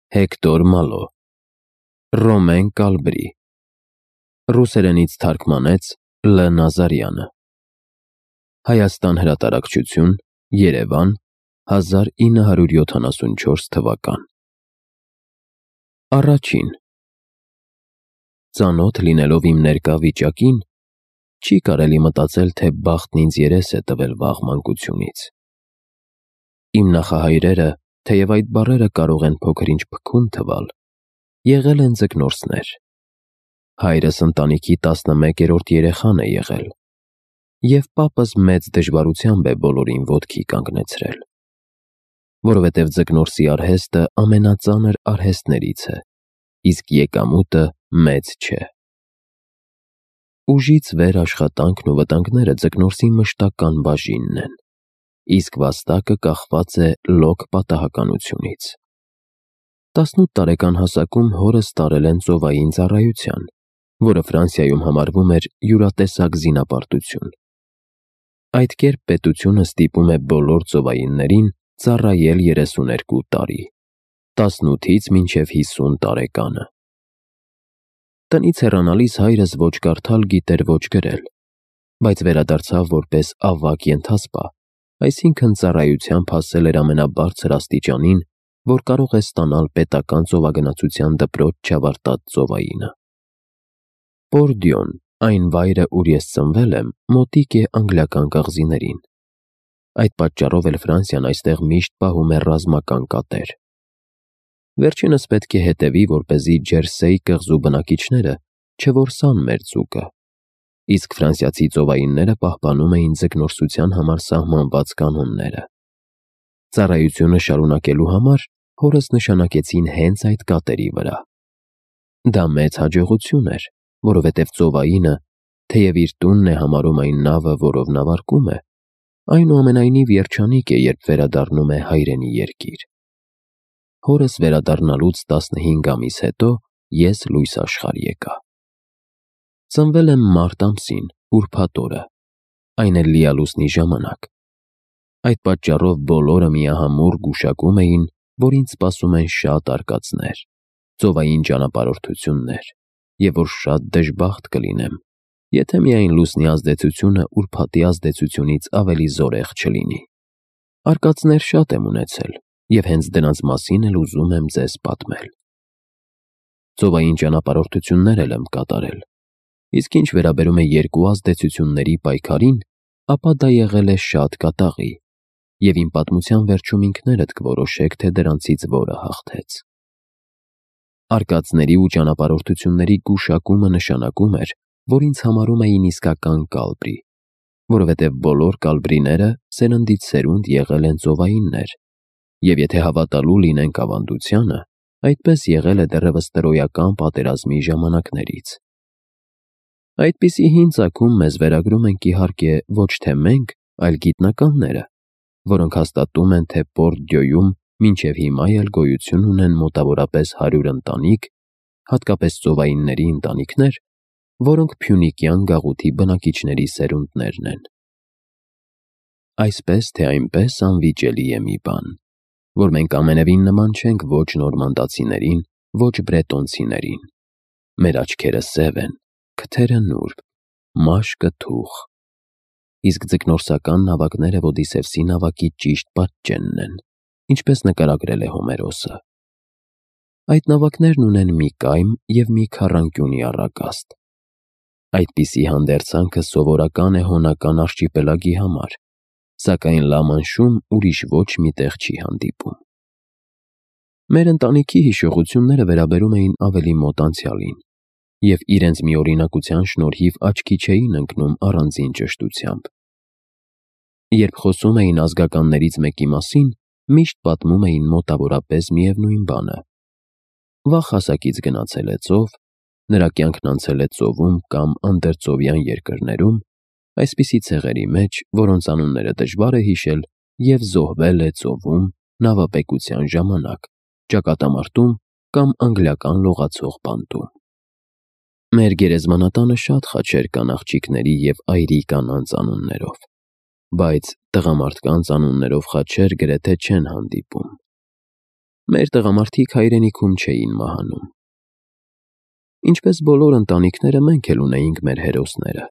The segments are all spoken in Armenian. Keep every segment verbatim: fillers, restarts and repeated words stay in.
Հեկտոր Մալո, Ռոմեն Կալբրի, ռուսերենից թարգմանեց Լ. Նազարյանը։ Հայաստան հրատարակչություն, Երևան, հազար ինը հարյուր յոթանասունչորս թվական։ Առաջին։ Ծանոթ լինելով իմ ներկա վիճակին, չի կարելի մտածել, թե բախտն ինձ երես է տվել վաղ մանկությունից։ Իմ նախահայրերը, թեև այդ բառերը կարող են փոքր-ինչ փքուն թվալ, եղել են ձկնորսներ։ Հայրս ընտանիքի տասնմեկերորդ երեխան է եղել, և պապս մեծ դժվարությամբ է բոլորին ոտքի կանգնեցրել, որովհետև ձկնորսի արհեստը ամենածանր արհեստներից է, իսկ եկամուտը մեծ չէ։ Ուժից վեր աշխատանքն ու վտանգները ձկնորսի մշտական բաժինն են, իսկ վաստակը կախված է լոկ պատահականությունից։ Տասնութ տարեկան հասակում հորս տարել են ծովային ծառայության, որը Ֆրանսիայում համարվում էր յուրատեսակ զինապարտություն։ Այդ կերպ պետությունը ստիպում է բոլոր ծովայիններին ծառայել երեսուներկու տարի, տասնութից մինչև հիսուն տարեկանը։ Տնից հեռանալիս հայրս ոչ կարդալ գիտեր, ոչ գրել, բայց վերադարձավ որպես ավագ ենթասպա, այսինքն ծառայությամբ հասել էր ամենաբարձր աստիճանին, որ կարող է ստանալ պետական ծովագնացության դպրոց չավարտած ծովայինը։ Պորդյոն, այն վայրը, ուր ես ծնվել եմ, մոտիկ է անգլիական կղզիներին։ Այդ պատճառով էլ Ֆրանսիան այստեղ միշտ պահում է ռազմական կատեր։ Վերջինս պետք է հետևի, որպեսզի Ջերսեի կղզու բնակիչները չորսան մեր ձուկը, իսկ ֆրանսիացի ծովայինները պահպանում էին ձկնորսության համար սահմանված կանոնները։ Ծառայությունը շարունակելու համար հորս նշանակեցին հենց այդ կատերի վրա։ Դա մեծ հաջողություն էր, որովհետև ծովայինը, թեև իր տունն է համարում այն նավը, որով նավարկում է, այնուամենայնիվ երջանիկ է, երբ վերադառնում է հայրենի երկիր։ Հորս վերադառնալուց տասնհինգ ամիս հետո ես լույս աշխարհ եկա։ Ծնվել եմ մարտ ամսին, ուրբաթ օրը, այն էլ լիալուսնի ժամանակ։ Այդ պատճառով բոլորը միահամուռ գուշակում էին, որ ինձ սպասում են շատ արկածներ, ծովային ճանապարհորդություններ, և որ շատ դժբախտ կլինեմ, եթե միայն լուսնի ազդեցությունը ուրբաթի ազդեցությունից ավելի զորեղ չլինի։ Արկածներ շատ եմ ունեցել, և հենց դրանց մասին էլ ուզում եմ ձեզ պատմել։ Ծովային ճանապարհորդություններ էլ եմ կատարել, իսկ ինչ վերաբերում է երկու ազդեցությունների պայքարին, ապա դա եղել է շատ կատաղի, և իմ պատմության վերջում ինքներդ կորոշեք, թե դրանցից որը հաղթեց։ Արկածների ու ճանապարհորդությունների գուշակումը նշանակում էր, որ ինձ համարում էին իսկական կալբրի, որովհետև բոլոր կալբրիները սերնդից սերունդ եղել են ծովայիններ, և եթե հավատալու լինենք ավանդությանը, այդպես եղել է դեռևս տրոյական պատերազմի ժամանակներից։ Այդպիսի հին ծագում մեզ վերագրում ենք իհարկե ոչ թե մենք, այլ գիտնականները, որոնք հաստատում են, թե Պորդյոյում մինչև հիմա էլ գոյություն ունեն մոտավորապես հարյուր ընտանիք, հատկապես ծովայինների ընտանիքներ, որոնք փյունիկյան գաղութի բնակիչների սերունդներն են։ Այսպես թե այնպես անվիճելի է մի բան, որ մենք ամենևին նման չենք ոչ նորմանդացիներին, ոչ բրետոնցիներին։ Մեր աչքերը սև են, քթերը նուրբ, մաշկը թուխ, իսկ ձկնորսական նավակները Ոդիսևսի նավակի ճիշտ պատճենն են, ինչպես նկարագրել է Հոմերոսը։ Այդ նավակներն ունեն մի կայմ և մի քառանկյունի առագաստ։ Այդպիսի հանդերձանքը սովորական է Հոնական արշիպելագի համար, սակայն Լամանշում ուրիշ ոչ մի տեղ չի հանդիպում։ Մեր ընտանիքի հիշողությունները վերաբերում էին ավելի մոտ անցյալին, և իրենց միօրինակության շնորհիվ աչքի չէին ընկնում առանձին ճշտությամբ։ Երբ խոսում էին ազգականներից մեկի մասին, միշտ պատմում էին մոտավորապես միևնույն բանը։ Վաղ հասակից գնացել է ծով, նրա կյանքն անցել է ծովում կամ անդերծովյան երկրներում, այսպիսի ցեղերի մեջ, որոնց անունները դժվար է հիշել, և զոհվել է ծովում, նավապեկության ժամանակ, ճակատամարտում կամ անգլիական լողացող բանտում։ Մեր գերեզմանատանը շատ խաչեր կան աղջիկների և այրի կանանց անուններով, բայց տղամարդկանց անուններով խաչեր գրեթե չեն հանդիպում։ Մեր տղամարդիկ հայրենիքում չէին մահանում։ Ինչպես բոլոր ընտանիքները, մենք էլ ունեինք մեր հերոսները։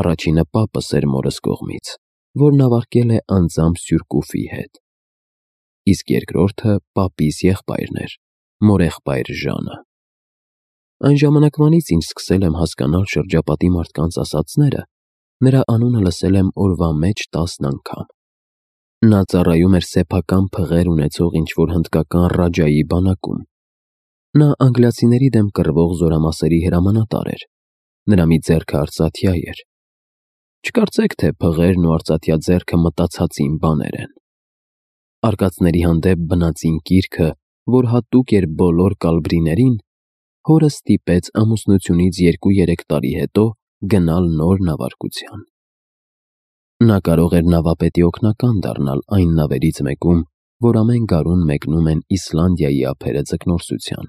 Առաջինը պապս էր մորս կողմից, որն ավարտել է անձամբ Սյուրկուֆի հետ։ Իսկ երկրորդը պապիս եղբայրն էր, մորեղբայր Ժանը։ Այն ժամանակվանից, ինչ սկսել եմ հասկանալ շրջապատի մարդկանց ասածները, նրա անունը լսել եմ օրվա մեջ տասն անգամ։ Նա ծառայում էր սեփական փղեր ունեցող ինչ-որ հնդկական ռաջայի բանակում։ Նա անգլիացիների դեմ կռվող զորամասերի հրամանատար էր։ Նրա մի ձեռքը արծաթյա էր։ Չկարծեք, թե փղերն ու արծաթյա ձեռքը մտածածին բաներ են։ Արկածների հանդեպ բնածին կիրքը, որ հատուկ էր բոլոր կալբրիներին, հորը ստիպեց ամուսնությունից երկու-երեք տարի հետո գնալ նոր նավարկության։ Նա կարող էր նավապետի օգնական դառնալ այն նավերից մեկում, որ ամեն գարուն մեկնում են Իսլանդիայի ափերը ձկնորսության,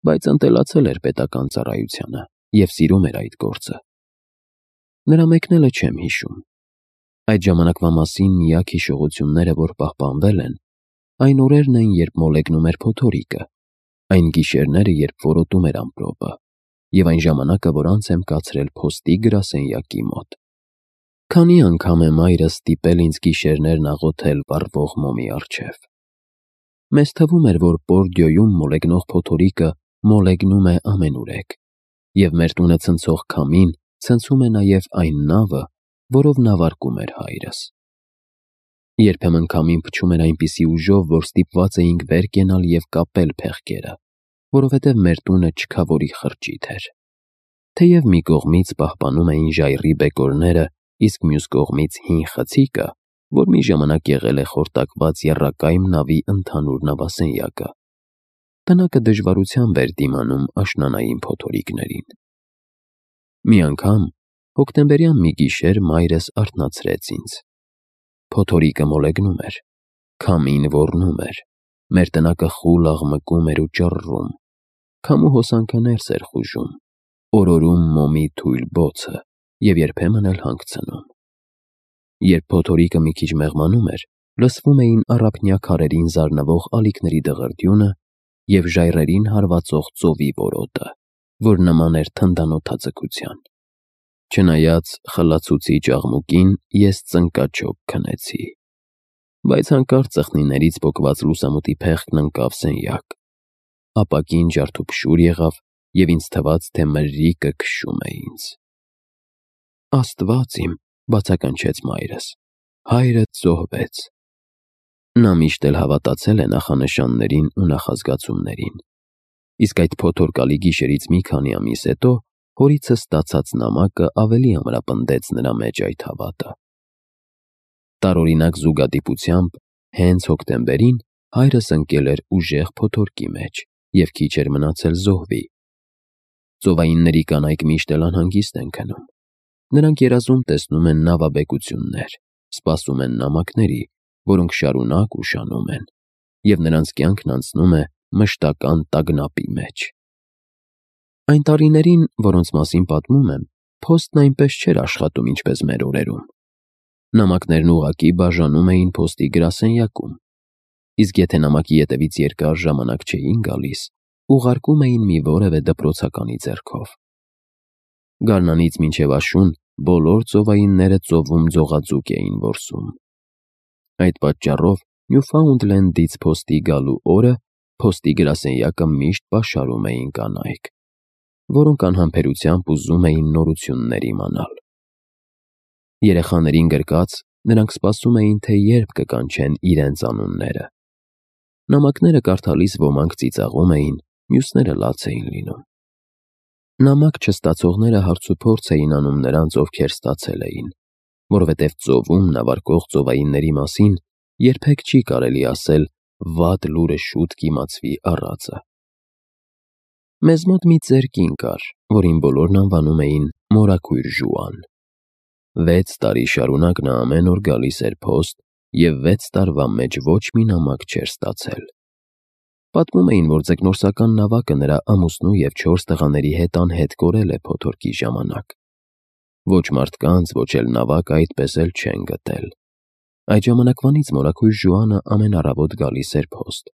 բայց ընտելացել էր պետական ծառայությանը և սիրում էր այդ գործը։ Նրա մեկնելը չեմ հիշում։ Այդ ժամանակվա մասին միակ հիշողությունները, որ պահպանվել են, այն օրերն են, երբ մոլեգնում էր փոթորիկը, այն գիշերները, երբ որոտում էր ամպրոպը, և այն ժամանակը, որ անց եմ կացրել փոստի գրասենյակի մոտ։ Քանի անգամ է մայրս ստիպել ինձ գիշերներն աղոթել վառվող մոմի առջև։ Մեզ թվում էր, որ Պորդիոյում մոլեգնող փոթորիկը մոլեգնում է ամենուրեք, և մեր տունը ցնցող քամին ցնցում է նաև այն նավը, որով նավարկում էր հայրս։ Երբեմն քամին փչում էր այնպիսի ուժով, որ ստիպված էինք վեր կենալ և կապել փեղկերը, որովհետև մեր տունը չքավորի խրճիթ էր։ Թեև մի կողմից պահպանում էին ժայռի բեկորները, իսկ մյուս կողմից հին խցիկը, որ մի ժամանակ եղել է խորտակված եռակայմ նավի ընդհանուր նավասենյակը, տնակը դժվարությամբ էր դիմանում աշնանային փոթորիկներին։ Մի անգամ, հոկտեմբերյան մի գիշեր, մայրս արթնացրեց ինձ։ Փոթորիկը մոլեգնում էր, քամին ոռնում էր, մեր տնակը խուլ աղմկում էր ու ճռռում, քամու հոսանքը ներս էր խուժում, օրորում մոմի թույլ բոցը և երբեմն էլ հանգցնում։ Երբ փոթորիկը մի քիչ մեղմանում էր, լսվում էին առափնյա քարերին զարնվող ալիքների դղրդյունը և ժայռերին հարվածող ծովի որոտը, որ նման էր թնդանոթաձգության։ Չնայած խլացուցիչ աղմուկին, ես ծնկաչոք քնեցի, բայց հանկարծ ծխնիներից պոկված լուսամուտի փեղկն ընկավ սենյակ, ապակին ջարդուփշուր եղավ և ինձ թվաց, թե մրրիկը քշում է ինձ։ Աստված իմ, բացականչեց մայրս, հայրդ զոհվեց։ Նա միշտ էլ հավատացել է նախանշաններին ու նախազգացումներին, իսկ այդ փոթորկալի գիշերից մի քանի ամիս հետո հորիցս ստացած նամակը ավելի ամրապնդեց նրա մեջ այդ հավատը։ Տարօրինակ զուգադիպությամբ, հենց հոկտեմբերին հայրս ընկել էր ուժեղ փոթորկի մեջ և քիչ էր մնացել զոհվի։ Ծովայինների կանայք միշտ էլ անհանգիստ են քնում։ Նրանք երազում տեսնում են նավաբեկություններ, սպասում են նամակների, որոնք շարունակ ուշանում են, և նրանց կյանքն անցնում է մշտական տագնապի մեջ։ Այն տարիներին, որոնց մասին պատմում եմ, փոստն այնպես չէր աշխատում, ինչպես մեր օրերում։ Նամակներն ուղղակի բաժանում էին փոստի գրասենյակում, իսկ եթե նամակի ետևից երկար ժամանակ չէին գալիս, ուղարկում էին մի որևէ դպրոցականի ձեռքով։ Գարնանից մինչև աշուն բոլոր ծովայինները ծովում ձողաձուկ էին որսում։ Այդ պատճառով Նյուֆաունդլենդից փոստի գալու օրը փոստի գրասենյակը միշտ պաշարում էին կանայք, որոնք անհամբերությամբ ուզում էին նորություններ իմանալ։ Երեխաներին գրկած, նրանք սպասում էին, թե երբ կկանչեն իրենց անունները։ Նամակները կարդալիս ոմանք ծիծաղում էին, մյուսները լաց էին լինում։ Նամակ չստացողները հարցուփորձ էին անում նրանց, ովքեր ստացել էին, որովհետև ծովում նավարկող ծովայինների մասին երբեք չի կարելի ասել վատ լուրը շուտ կիմացվի առածը։ Մեզ մոտ մի ծեր կին կար, որին բոլորն անվանում էին Մորաքույր Ժուան։ Վեց տարի շարունակ նա ամեն օր գալիս էր փոստ և վեց տարվա մեջ ոչ մի նամակ չէր ստացել։ Պատմում էին, որ ձկնորսական նավակը նրա ամուսնու և չորս տղաների հետ անհետ կորել է փոթորկի ժամանակ։ Ոչ մարդկանց, ոչ էլ նավակը այդպես էլ չեն գտել։ Այդ ժամանակվանից մորաքույր Ժուանը ամեն առավոտ գալիս էր փոստ։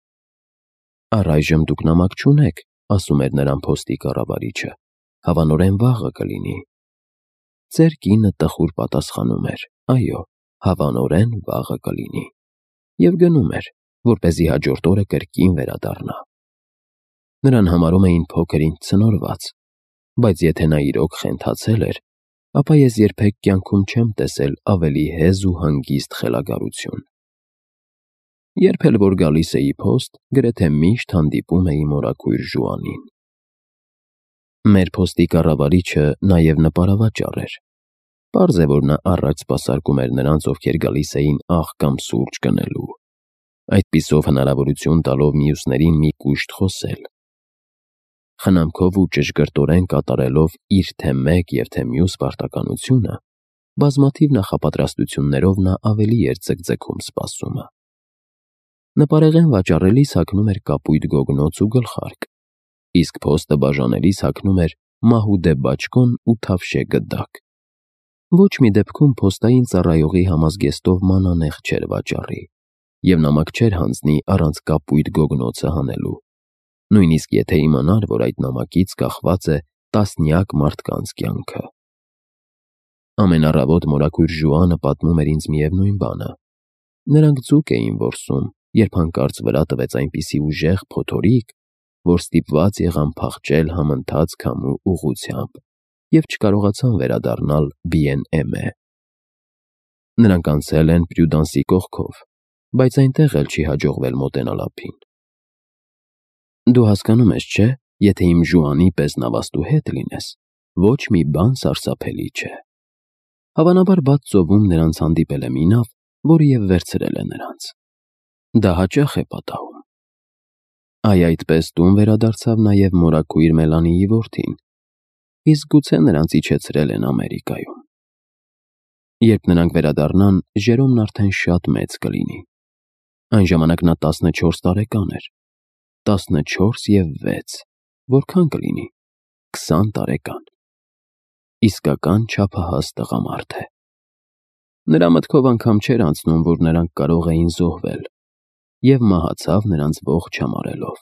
«Առայժմ դուք նամակ չունեք», ասում էր նրան փոստի կառավարիչը, «հավանորեն վաղը կլինի»։ Ծեր կինը տխուր պատասխանում էր. «Այո, հավանորեն վաղը կլինի» և գնում էր, որպեսզի հաջորդ օրը կրկին վերադառնա։ Նրան համարում էին փոքր ինչ ցնորված, բայց եթե նա իրոք խենթացել էր, ապա ես երբեք կյանքում չեմ տեսել ավելի հեզ ու հանգիստ խելագարություն։ Երբ էլ որ գալիս էի փոստ, գրեթե միշտ հանդիպում էի մորաքույր Ժուանին։ Մեր փոստի կառավարիչը նաև նպարավաճառ էր։ Պարզ է, որ նա առաջ սպասարկում էր նրանց, ովքեր գալիս էին աղ կամ սուրճ գնելու, այդպիսով հնարավորություն տալով մյուսներին մի կուշտ խոսել։ Խնամքով ու ճշգրտորեն կատարելով իր թե մեկ և թե մյուս պարտականությունը, բազմաթիվ նախապատրաստություններով նա ավելի էր ձգձգում սպասումը։ Նպարեղեն վաճառելիս հագնում էր կապույտ գոգնոց ու գլխարկ, իսկ փոստը բաժանելիս հագնում էր մահուդե բաճկոն ու թավշե գդակ։ Ոչ մի դեպքում փոստային ծառայողի համազգեստով մանանեխ չէր վաճառի, և նամակ չէր հանձնի առանց կապույտ գոգնոցը հանելու, նույնիսկ եթե իմանար, որ այդ նամակից կախված է տասնյակ մարդկանց կյանքը։ Ամեն առավոտ մորաքույր Ժուանը պատմում էր ինձ միևնույն բանը։ Նրանք ձուկ էին որսում, երբ հանկարծ վրա տվեց այնպիսի ուժեղ փոթորիկ, որ ստիպված եղան փախչել համընթաց քամու ուղղությամբ և չկարողացան վերադառնալ Բիեն-Էմե։ Նրանք անցել են Պրյուդանսի կողքով, բայց այնտեղ էլ չի հաջողվել մոտենալ ափին։ Դու հասկանում ես, չէ՞, եթե իմ Ժուանի պես նավաստու հետ լինես, ոչ մի բան սարսափելի չէ։ Հավանաբար բաց ծովում նրանց հանդիպել է մի նավ, որը և վերցրել է նրանց։ Դա հաճախ է պատահում։ Այ այդպես տուն վերադարձավ նաև մորաքույր Մելանիի որդին, իսկ գուցե նրանց իջեցրել են Ամերիկայում։ Երբ նրանք վերադառնան, Ժերոմն արդեն շատ մեծ կլինի։ Այն ժամանակ նա տասնչորս տարեկան էր։ Տասնչորս և վեց, որքան կլինի, քսան տարեկան։ Իսկական չափահաս տղամարդ է։ Նրա մտքով անգամ չէր անցնում, որ նրանք կարող էին զոհվել, և մահացավ նրանց ողջ համարելով։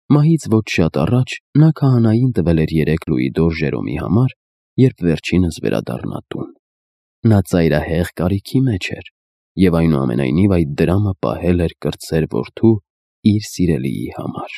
Մահից ոչ շատ առաջ նա քահանային տվել էր երեք լուիդոր Ժերոմի համար, երբ վերջինս վերադառնա տուն։ Նա ծայրահեղ կարիքի մեջ էր, և այնուամենայնիվ այդ դրամը պահել էր կրտսեր որդու իր սիրելիի համար։